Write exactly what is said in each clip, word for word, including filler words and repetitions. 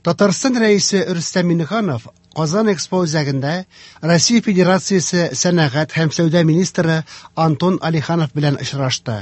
Татарстан Рәисе Рөстәм Миңнеханов Казан Экспо үзәгендә Россия Федерациясе сәнәгать һәм сәүдә министры Антон Алиханов белән очрашты.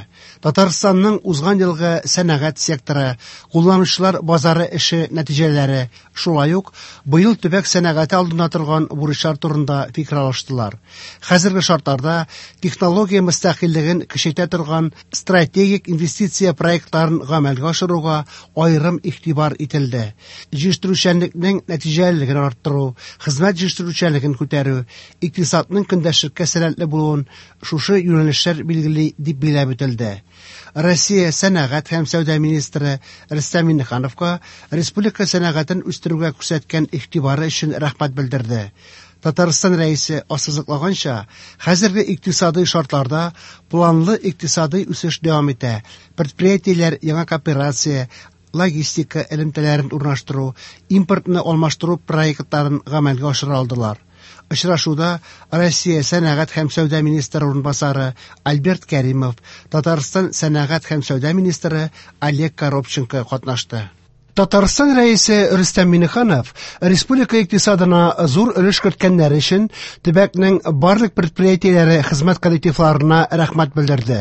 Татарстанның узган елгы сәнәгать секторы, кулланучылар базары эше нәтиҗәләре, шулай ук быел төбәк сәнәгате алдында торган бурычлар турында фикер алыштылар. Хәзерге шартларда технология мөстәкыйльлеген көчәйтә торган стратегик инвестиция проектларын гамәлгә ашыруга аерым игътибар ителде. Җитештерүчәнлекнең нәтиҗәлелеген арттыру, хезмәт җитештерүчәнлеген күтәрү, икътисадның көндәшлеккә сәләтле булуын шушы юнәлешләр билгели дип билгеләп үтелде. Россия сәнәгать һәм сәүдә министры Рөстәм Миңнехановка республика сәнәгатен үстерүгә күрсәткән игътибары өчен рәхмәт белдерде. Татарстан Рәисе ассызыклаганча, хәзерге икътисадый шартларда планлы икътисадый үсеш дәвам итә. Предприятиеләр яңа кооперация, логистика элемтәләрен урнаштыру, импортны алмаштыру проектларын гамәлгә ашыра алдылар. Очрашуда Россия сәнәгать һәм сәүдә министры урынбасары Альберт Кәримов, Татарстан сәнәгать һәм сәүдә министры Олег Коробченко катнашты. Татарстан Рәисе Рөстәм Миңнеханов республика икътисадына зур өлеш керткәннәре өчен төбәкнең барлык предприятиеләре хезмәт коллективларына рәхмәт белдерде.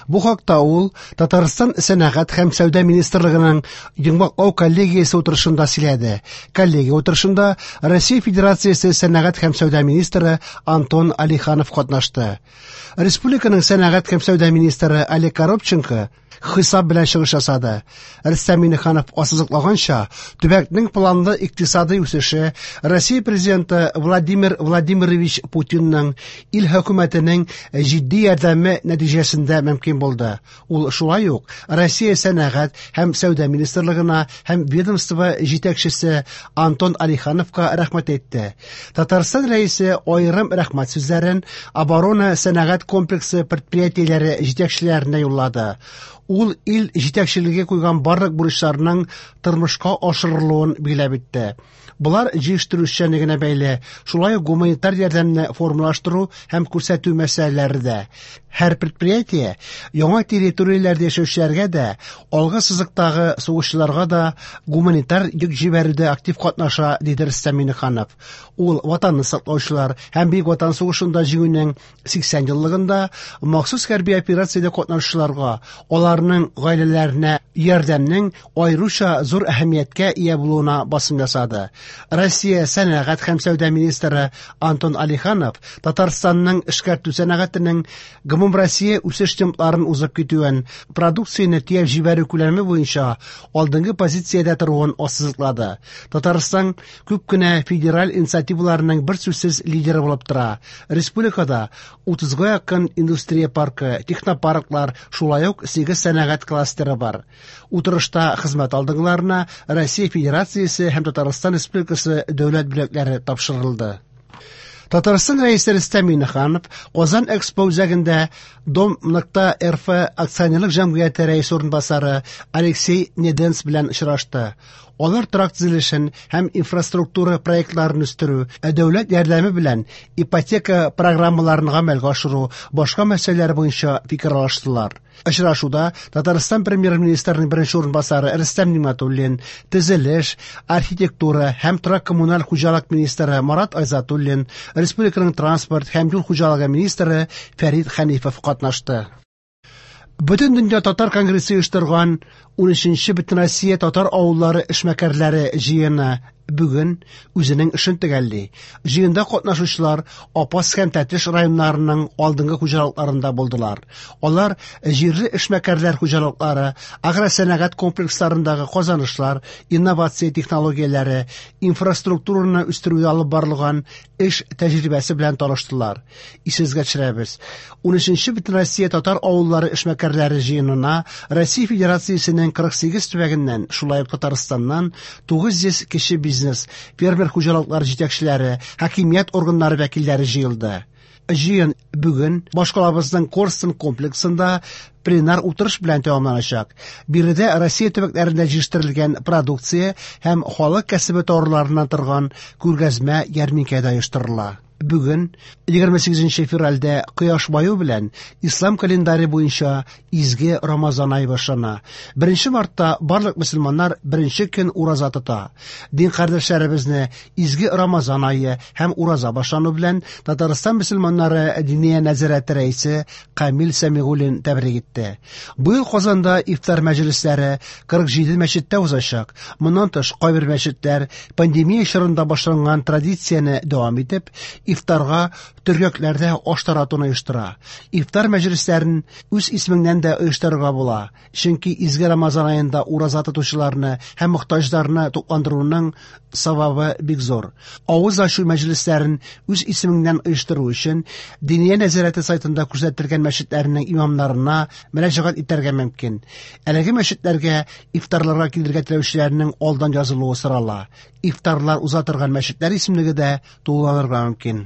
Бу хакта ул Татарстан сәнәгать һәм сәүдә министрлыгының йомгаклау коллегиясе утырышында сөйләде. Коллегия утырышында Россия Федерациясе сәнәгать һәм сәүдә министры Антон Алиханов катнашты. Республиканың сәнәгать һәм сәүдә министры Олег Коробченко хисап белән чыгыш ясады. Рөстәм Миңнеханов ассызыклаганча, төбәкнең планлы икътисадый үсеше Россия президенты Владимир Владимирович Путинның ил хөкүмәтенең җитди ярдәме нәтиҗәсендә мөмкин булды. Ул шулай ук Россия сәнәгать һәм сәүдә министрлыгына һәм ведомство җитәкчесе Антон Алихановка рәхмәт әйтте. Татарстан Рәисе аерым рәхмәт сүзләрен оборона сәнәгать комплексы предприятиеләре җитәкчеләренә юллады. Ул ил җитәкчелеге куйган барлык бурычларның тормышка ашырылуын билгеләп үтте. Болар җитештерүчәнлегенә бәйле, шулай ук гуманитар ярдәмне формалаштыру һәм күрсәтү мәсьәләләре дә. Һәр предприятие яңа территорияләрдә яшәүчеләргә дә, алгы сызыктагы сугышчыларга да гуманитар йөк җибәрүдә актив катнаша, диде Рөстәм Миңнеханов. Ул Ватанны саклаучылар һәм Бөек Ватан сугышында җиңүнең сиксән еллыгында махсус хәрби операциядә катнашучыларга, аларның гаиләләренә ярдәмнең аеруча зур әһәмияткә ия булуына басым ясады. Россия сәнәгать һәм сәүдә министры Антон Алиханов Татарстанның эшкәртү сәнәгатенең гомумроссия үсеш темпларын узып китүен, продукцияне төяп җибәрү күләме буенча алдынгы позициядә торуын ассызыклады. Татарстан күп кенә федераль инициативаларының бер сүзсез лидеры булып тора. Республикада утызга якын индустрия паркы, технопарклар, шулай ук сигез сәнәгать кластеры бар. Утырышта хезмәт алдынгыларына Россия Федерациясе һәм Татарстан Республикасы дәүләт бүләкләре тапшырылды. Татарстан Рәисе Рөстәм Миңнеханов Казан Экспо үзәгендә Дом нокта РФ акционерлык җәмгыяте рәисе урынбасары Алексей Неденс белән очрашты. Алар торак төзелешен һәм инфраструктура проектларын үстерү, ә дәүләт ярдәме белән ипотека программаларын гамәлгә ашыру, башка мәсьәләләр буенча фикер алыштылар. Очрашуда Татарстан премьер-министрының беренче урынбасары Рөстәм Нигъмәтуллин, төзелеш, архитектура һәм торак коммуналь хуҗалык министры Марат Айзатуллин, республиканың транспорт һәм юл хуҗалыгы министры Фәрит Хәнифов катнашты. Бөтен дөнья татар конгрессы оештырган унөченче Бөтенроссия татар авыллары эшмәкәрләре җыены бүген үзенең эшен төгәлли. Җыенда катнашучылар Апас һәм Тәтеш районнарының алдынгы хуҗалыкларында булдылар. Алар җирле эшмәкәрләр хуҗалыклары, агросәнәгать комплексларындагы казанышлар, инновация технологияләре, инфраструктураны үстерүдә алып барылган эш тәҗрибәсе белән таныштылар. Исегезгә төшерәбез. Унөченче Бөтенроссия татар авыллары эшмәкәрләре җыенына Россия Федерациясенең кырык сигез төбәгеннән, шулай ук Татарстаннан тугыз йөз кече бизнес, фермер хуҗалыклары җитәкчеләре, хакимият органнары вәкилләре җыелды. Җыен бүген башкалабызның Корстон комплексында пленар утырыш белән тәмамланачак. Биредә Россия төбәкләрендә җитештерелгән продукция һәм халык кәсебе товарларыннан торган күргәзмә ярминкә дә оештырыла. Бүген, егерме сигезенче февральдә, кояш баю белән ислам календаре буенча изге Рамазан ае башлана. Беренче мартта барлык мөселманнар беренче көн ураза тота. Дин кардәшләребезне изге Рамазан ае һәм ураза башлану белән Татарстан мөселманнары Диния нәзарәте рәисе Камил Сәмигуллин тәбрик итте. Быел Казанда ифтар мәҗлесләре кырык җиде мәчеттә узачак. Моннан тыш, кайбер мәчетләр пандемия чорында башланган традицияне дәвам итеп, ифтарга төргәкләрдә аш таратуны оештыра. Ифтар мәҗлесләрен үз исемеңнән дә оештырырга була. Чөнки изге Рамазан аенда ураза тотучыларны һәм мохтаҗларны тукландыруның савабы бик зур. Авыз ачу мәҗлесләрен үз исемеңнән оештыру өчен Диния нәзарәте сайтында күрсәтелгән мәчетләрнең имамнарына мөрәҗәгать итәргә мөмкин. Әлеге мәчетләргә ифтарларга килергә теләүчеләрнең алдан язылуы сорала. Ифтарлар уза торган мәчетләр исемлеге дә тулыланырга мөмкин.